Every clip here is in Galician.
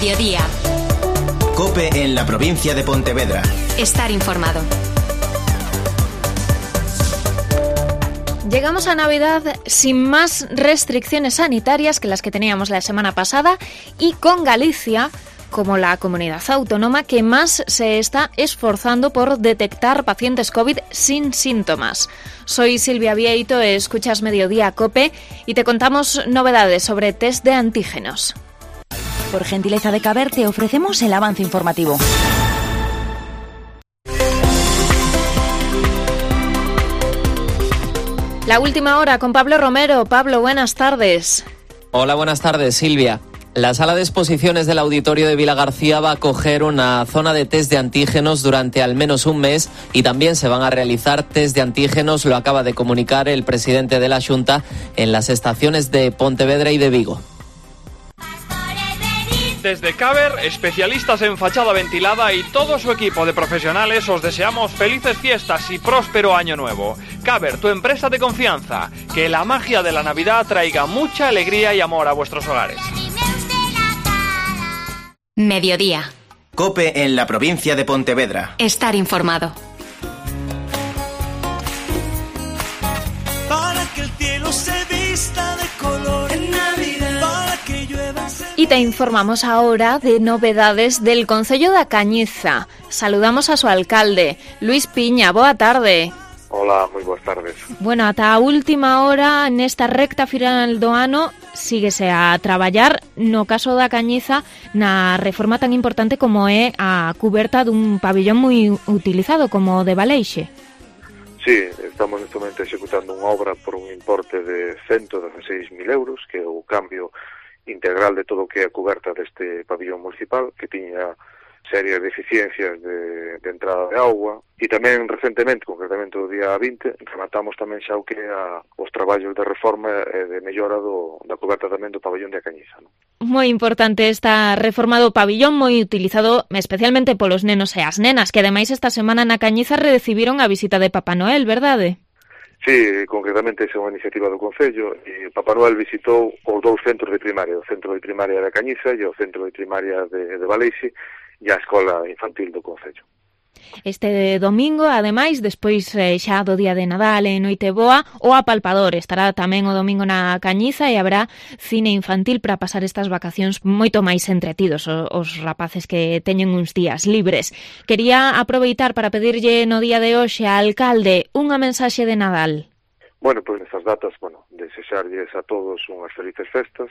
Mediodía. COPE en la provincia de Pontevedra. Estar informado. Llegamos a Navidad sin más restricciones sanitarias que las que teníamos la semana pasada y con Galicia como la comunidad autónoma que más se está esforzando por detectar pacientes COVID sin síntomas. Soy Silvia Vieito, escuchas Mediodía COPE y te contamos novedades sobre test de antígenos. Por gentileza de Caber te ofrecemos el avance informativo. La última hora con Pablo Romero. Pablo, buenas tardes. Hola, buenas tardes, Silvia. La sala de exposiciones del Auditorio de Vilagarcía va a acoger una zona de test de antígenos durante al menos un mes y también se van a realizar test de antígenos, lo acaba de comunicar el presidente de la Xunta, en las estaciones de Pontevedra y de Vigo. Desde Caber, especialistas en fachada ventilada y todo su equipo de profesionales os deseamos felices fiestas y próspero año nuevo. Caber, tu empresa de confianza. Que la magia de la Navidad traiga mucha alegría y amor a vuestros hogares. Mediodía. COPE en la provincia de Pontevedra. Estar informado. Para que el cielo se vista de color en Navidad. Para que llueva. Y te informamos ahora de novedades del Concello da Cañiza. Saludamos a su alcalde, Luis Piña. Boa tarde. Hola, moi boas tardes. Bueno, ata a última hora nesta recta final do ano síguese a traballar no caso da Cañiza na reforma tan importante como é a cuberta dun pabillón moi utilizado como o de Baleixe. Sí, estamos neste momento executando unha obra por un importe de 116.000 euros, que é o cambio integral de todo o que é a cuberta deste pabillón municipal, que tiña serias deficiencias de entrada de auga, e tamén recentemente, concretamente o día 20, rematamos tamén xa o que é os traballos de reforma e de mellora da cuberta tamén do pabillón de A Cañiza, non? Moi importante esta reforma do pabillón, moi utilizado especialmente polos nenos e as nenas, que ademais esta semana na Cañiza recibiron a visita de Papá Noel, verdade? Sí, concretamente esa é unha iniciativa do Concello e Papá Noel visitou os dous centros de primaria, o centro de primaria da Cañiza e o centro de primaria de Baleixe e a escola infantil do Concello. Este domingo, ademais, despois xa do día de Nadal e Noite Boa, o Apalpador estará tamén o domingo na Cañiza e habrá cine infantil para pasar estas vacacións moito máis entretidos os rapaces que teñen uns días libres. Quería aproveitar para pedirlle no día de hoxe ao alcalde unha mensaxe de Nadal. Bueno, pois nestas datas, desexarlles a todos unhas felices festas,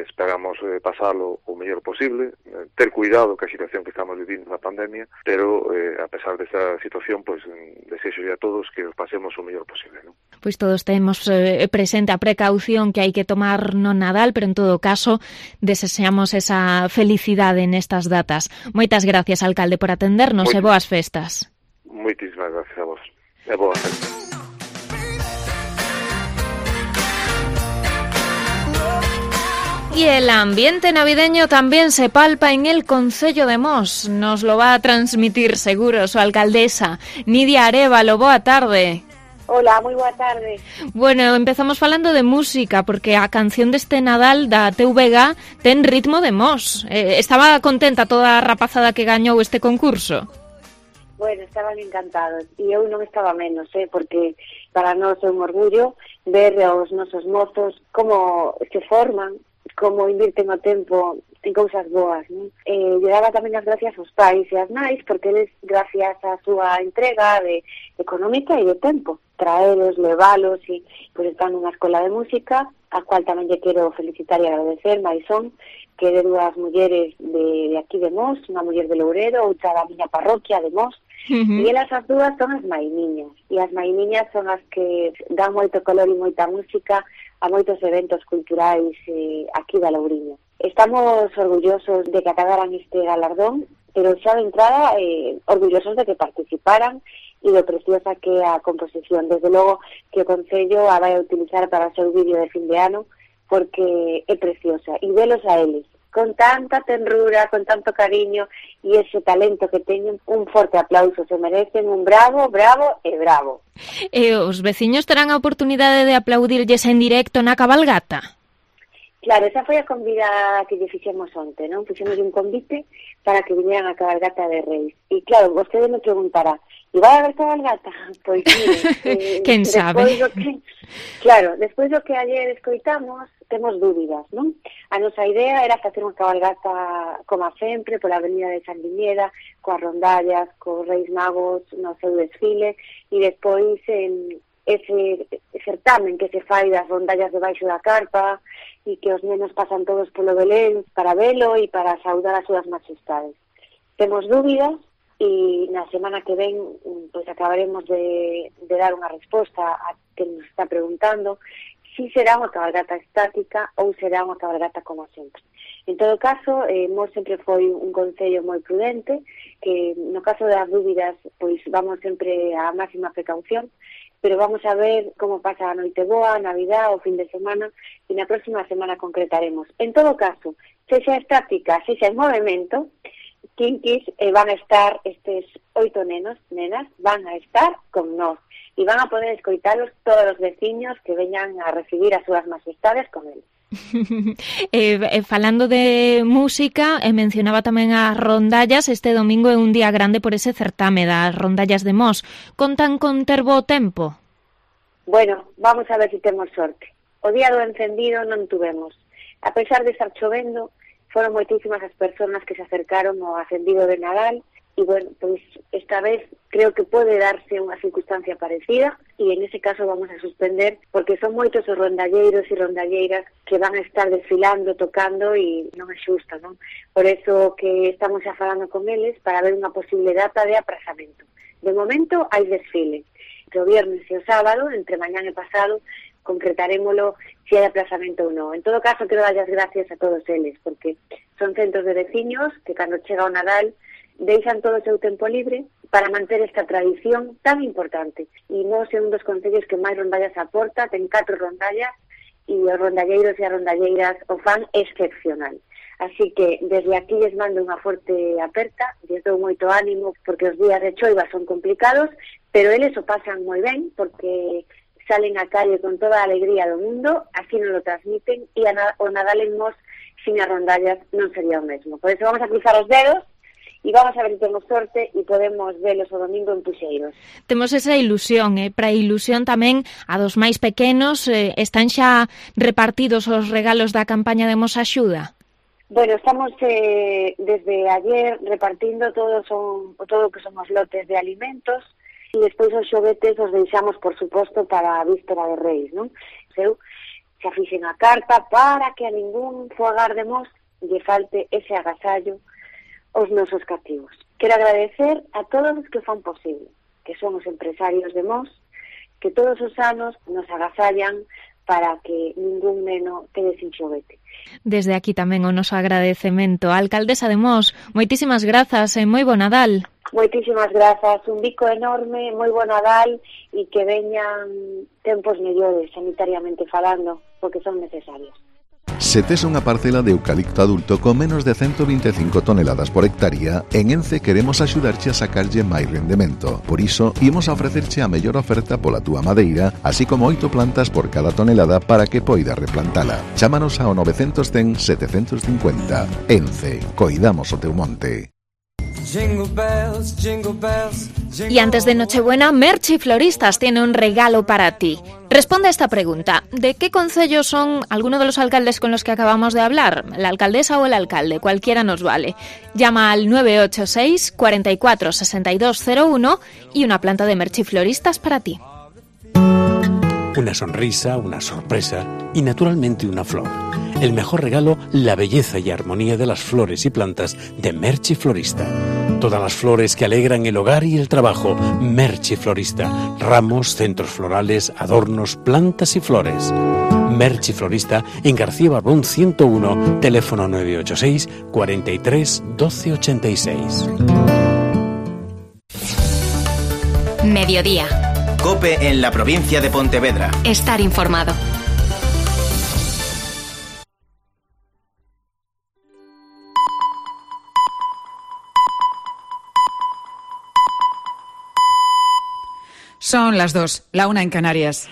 esperamos pasalo o mellor posible, ter cuidado que a situación que estamos vivindo na pandemia, pero a pesar desta situación, pois desexolle a todos que os pasemos o mellor posible, non? Pois todos temos presente a precaución que hai que tomar no Nadal, pero en todo caso desexamos esa felicidade nestas datas. Moitas gracias, alcalde, por atendernos e boas festas. Moitísimas gracias a vos. E boas festas. Y el ambiente navideño también se palpa en el Concello de Mos. Nos lo va a transmitir seguro su alcaldesa, Nidia Arévalo. Boa tarde. Hola, moi boa tarde. Bueno, empezamos falando de música, porque a canción deste Nadal da TVG ten ritmo de Mos. Estaba contenta toda a rapazada que gañou este concurso? Bueno, estaban encantados, e eu non estaba menos, porque para nós é un orgullo ver aos nosos mozos como se forman, como invirten o tempo en cousas boas, non? Lle daba tamén as gracias aos pais e as nais, porque eles, gracias á súa entrega económica e de tempo, traelos, levalos, e pois están nunha escola de música, a cual tamén lle quero felicitar e agradecer, Maisón, que de dúas mulleres de aquí de Mos, unha muller de Louredo, outra da miña parroquia de Mos, e elas as dúas son as maimiñas, e as maimiñas son as que dan moito color e moita música a moitos eventos culturais aquí da Louriña. Estamos orgullosos de que acadaran este galardón, pero xa de entrada orgullosos de que participaran e do preciosa que é a composición. Desde logo que o Concello a vai a utilizar para o seu vídeo de fin de ano, porque é preciosa. E velos a eles, con tanta tenrura, con tanto cariño e ese talento que teñen, un forte aplauso, se merecen un bravo, bravo e bravo. E os veciños terán a oportunidade de aplaudirlles en directo na cabalgata? Claro, esa foi a convida que lle fixemos onte, non? Fixemos un convite para que vinieran a cabalgata de Reis. E claro, vostede me preguntará, e vai haber cabalgata? Pois mire, quen sabe? Despois do que ayer escoitamos, temos dúbidas, non? A nosa idea era facer unha cabalgata como sempre, pola avenida de San Viñeda, coas rondallas, cos Reis Magos no seu desfile, e despois ese certamen que se fai das rondallas debaixo da carpa e que os nenos pasan todos polo Belén para velo e para saudar as súas majestades. Temos dúbidas e na semana que ven pois acabaremos de dar unha resposta a que nos está preguntando si será unha cabalgata estática ou será unha cabalgata como sempre. En todo caso, Mos sempre foi un concello moi prudente, que no caso das dúbidas pois vamos sempre á máxima precaución, pero vamos a ver como pasa a Noiteboa, a Navidad, o fin de semana, e na próxima semana concretaremos. En todo caso, sexa estática, sexa en movimento, Kinkis van a estar, estes 8 nenas, van a estar con nós, e van a poder escoitalos todos os veciños que veñan a recibir as súas majestades con eles. Falando de música, mencionaba tamén as rondallas. Este domingo é un día grande por ese certame das rondallas de Mos. Contan con ter bo tempo? Bueno, vamos a ver se temos sorte. O día do encendido non tuvemos. A pesar de estar chovendo, foron moitísimas as persoas que se acercaron ao acendido de Nadal. E, bueno, pois esta vez creo que pode darse unha circunstancia parecida e en ese caso vamos a suspender porque son moitos os rondalleiros e rondalleiras que van a estar desfilando, tocando e non é xusto, non? Por eso que estamos xa falando con eles para ver unha posible data de aprazamento. De momento hai desfile. Entre o viernes e o sábado, entre mañán e pasado, concretarémolo se hai aplazamento ou non. En todo caso, quero dar as gracias a todos eles porque son centros de veciños que cando chega o Nadal deixan todo o seu tempo libre para manter esta tradición tan importante. E Mos é un dos concellos que máis rondallas aporta, ten 4 rondallas, e os rondalleiros e as rondalleiras o fan excepcional. Así que desde aquí les mando unha forte aperta, les dou moito ánimo, porque os días de choiva son complicados, pero eles o pasan moi ben, porque salen á calle con toda a alegría do mundo, así non lo transmiten, e o Nadal en Mos sin as rondallas non sería o mesmo. Por eso vamos a cruzar os dedos, e vamos a ver se temos sorte e podemos velos o domingo en Puxeiros. Temos esa ilusión, para a ilusión tamén a dos máis pequenos. Están xa repartidos os regalos da campaña de Mos Axuda? Bueno, estamos desde ayer repartindo todo o que son os lotes de alimentos e despois os xoguetes os deixamos, por suposto, para a víspera de Reis, non? Eu xa fixen a carta para que a ningún fogar de Mos lle falte ese agasallo os nosos cativos. Quero agradecer a todos os que fan posible, que son os empresarios de Mos, que todos os anos nos agasallan para que ningún neno quede sin xoguete. Desde aquí tamén o noso agradecemento. A alcaldesa de Mos, moitísimas grazas e moi bo Nadal. Moitísimas grazas, un bico enorme, moi bo Nadal e que veñan tempos mellores sanitariamente falando, porque son necesarios. Se tes unha parcela de eucalipto adulto con menos de 125 toneladas por hectárea, en Ence queremos axudarche a sacarlle máis rendemento. Por iso, imos a ofrecerche a mellor oferta pola túa madeira, así como 8 plantas por cada tonelada para que poidas replantala. Chámanos ao 910 750. Ence, coidamos o teu monte. Y antes de Nochebuena, Merchi Floristas tiene un regalo para ti. Responde a esta pregunta. ¿De qué concello son alguno de los alcaldes con los que acabamos de hablar? ¿La alcaldesa o el alcalde? Cualquiera nos vale. Llama al 986 44 6201 y una planta de Merchi Floristas para ti. Una sonrisa, una sorpresa y naturalmente una flor. El mejor regalo, la belleza y armonía de las flores y plantas de Merchi Florista. Todas las flores que alegran el hogar y el trabajo. Merchi Florista. Ramos, centros florales, adornos, plantas y flores. Merchi Florista en García Barbón 101, teléfono 986 43 12 86. Mediodía. COPE en la provincia de Pontevedra. Estar informado. Son las 2, la 1 en Canarias.